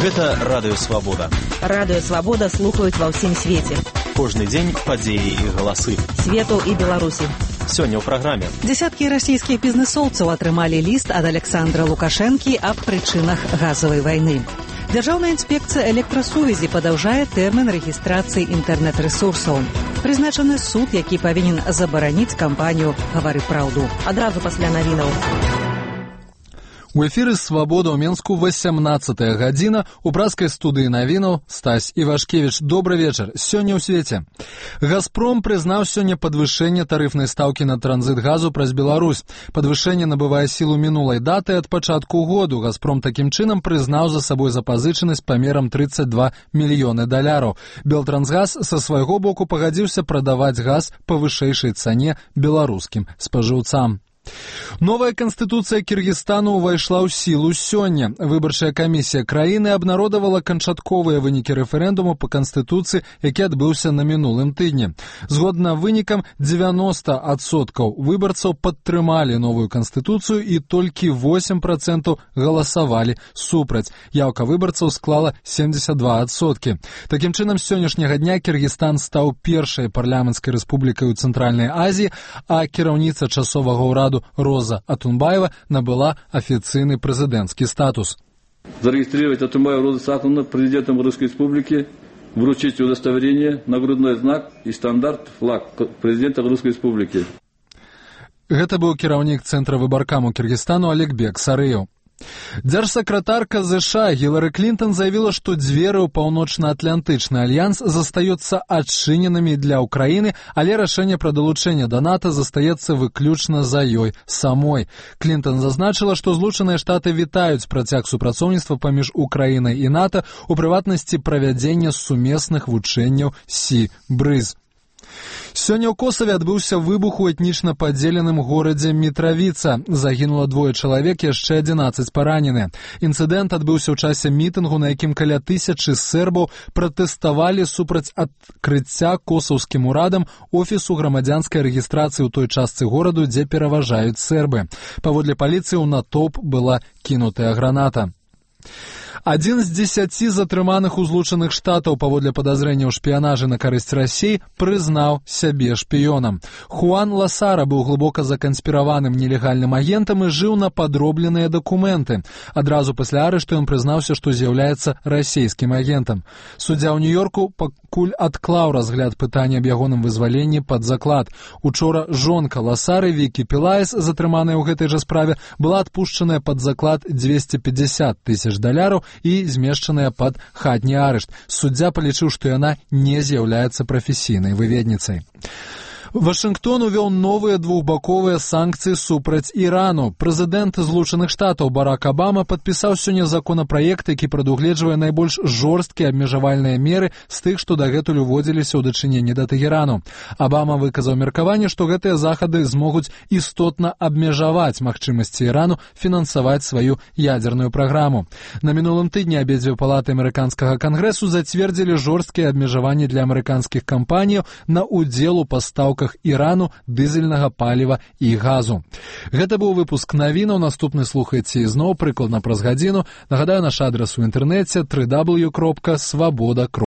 Гэта Радыё Свабода. Радыё Свабода слухаюць ва ўсім свеце. Кожны дзень падзеі і галасы. Свету і Беларусі. Сёння ў праграме. Дзесяткі расійскіх бізнэсоўцаў атрымалі ліст ад Александра Лукашэнкі аб прычынах газавай вайны. Дзяржаўная інспекцыя электрасувязі падаўжае тэрмін рэгістрацыі інтэрнэт-рэсурсаў. Прызначаны суд, які павінен забараніць кампанію «Гавары праўду». Адразу пасля навінаў. У эфіры «Свабода» ў Менску 18-я гадзіна. У пражскай студыі навінаў Стась Івашкевіч. Добры вечар. Сёння ў свеце. «Газпром» прызнаў сёння падвышэнне тарыфнай стаўкі на транзіт газу праз Беларусь. Падвышэнне набывае сілу мінулай даты ад пачатку году. «Газпром» такім чынам прызнаў за сабой запазычанасць памерам 32 мільёны даляраў. «Белтрансгаз» са свайго боку пагадзіўся прадаваць газ па вышэйшай цане беларускім спажыўцам. Новая канстытуцыя Кіргізстану ўвайшла ў сілу сёння. Выбарчая камісія краіны абнародавала канчатковыя вынікі рэферэндуму па канстытуцыі, які адбыўся на мінулым тыдні. Згодна вынікам, 90% выбарцаў падтрымалі новую канстытуцыю і толькі 8% галасавалі супраць. Яўка выбарцаў склала 72%. Такім чынам, з сённяшняга дня Кіргізстан стаў першай парламенцкай рэспублікай у Цэнтральнай Азіі, а кіраўніца часовага ўраду Роза Атунбаева набыла официальный президентский статус. Зарегистрировать Атунбаеву Розу Сахновну президентом Русской Республики, вручить удостоверение, нагрудной знак и стандарт флаг президента Русской Республики. Это был кіраўнік Центра выбаркаму Киргизстану Аликбек Сарыев. Дзяржсакратарка США Гілары Клінтон заявила, что дзверы ў Паўночна-Атлантычны альянс застаюцца адчыненымі для Украины, але рашэнне пра далучэнне да НАТО застаецца выключна за ёй самой. Клінтон зазначила, что Злучаныя Штаты вітаюць працяг супрацоўніцтва паміж Украінай і НАТО, у прыватнасці правядзення сумесных вучэнняў Сі-Брыз. Сёння ў Косаве адбыўся выбух у этнічна падзеленым горадзе Мітравіца. Загінула 2 чалавек, яшчэ 11 паранены. Інцыдэнт адбыўся ў часе мітынгу, на якім каля 1000 сербаў пратэставалі супраць адкрыцця косаўскім урадам офісу грамадзянскай рэгістрацыі ў той частцы гораду, дзе пераважаюць сербы. Паводле паліцыі ў натоўп была кінутая граната. 1 з 10 затрыманых у Злучаных Штатаў паводле падазрэння ў шпіянажы на карысць Расіі прызнаў сябе шпіёнам. Хуан Ласара быў глыбока заканспіраваным нелегальным агентам і жыў на падробленыя дакументы. Адразу пасля арышту ён прызнаўся, што з'яўляецца расійскім агентам. Суддзя ў Нью-Йорку пакуль адклаў разгляд пытання аб ягоным вызваленні пад заклад. Учора жонка Ласары Вікі Пілаес, затрыманая ў гэтай жа справе, была адпушчаная пад заклад $250 тысяч і змешчаная пад хатні арышт. Суддзя палічыў, што яна не з'яўляецца прафесійнай выведніцай. Вашынгтон увёў новыя двухбаковыя санкцыі супраць Ірану. Прэзідэнт Злучаных Штатаў Барак Абама падпісаў сёння законапраект, які прадугледжвае найбольш жорсткія абмежавальныя меры з тых, што дагэтуль уводзіліся ў дачыненні да Тэхерану. Абама выказаў меркаванне, што гэтыя захады змогуць істотна абмежаваць магчымасці Ірану фінансаваць сваю ядзерную праграму. На мінулым тыдні абедзве палаты амерыканскага кангрэсу зацвердзілі жорсткія абмежаванні для амерыканскіх кампаніяў на ўдзел у пастаўках Ірану дызельнага паліва і газу. Гэта быў выпуск навінаў. Наступны слухайце ізноў прыкладна праз гадзіну. Нагадаю, наш адрас у інтэрнэце www.svoboda.ru.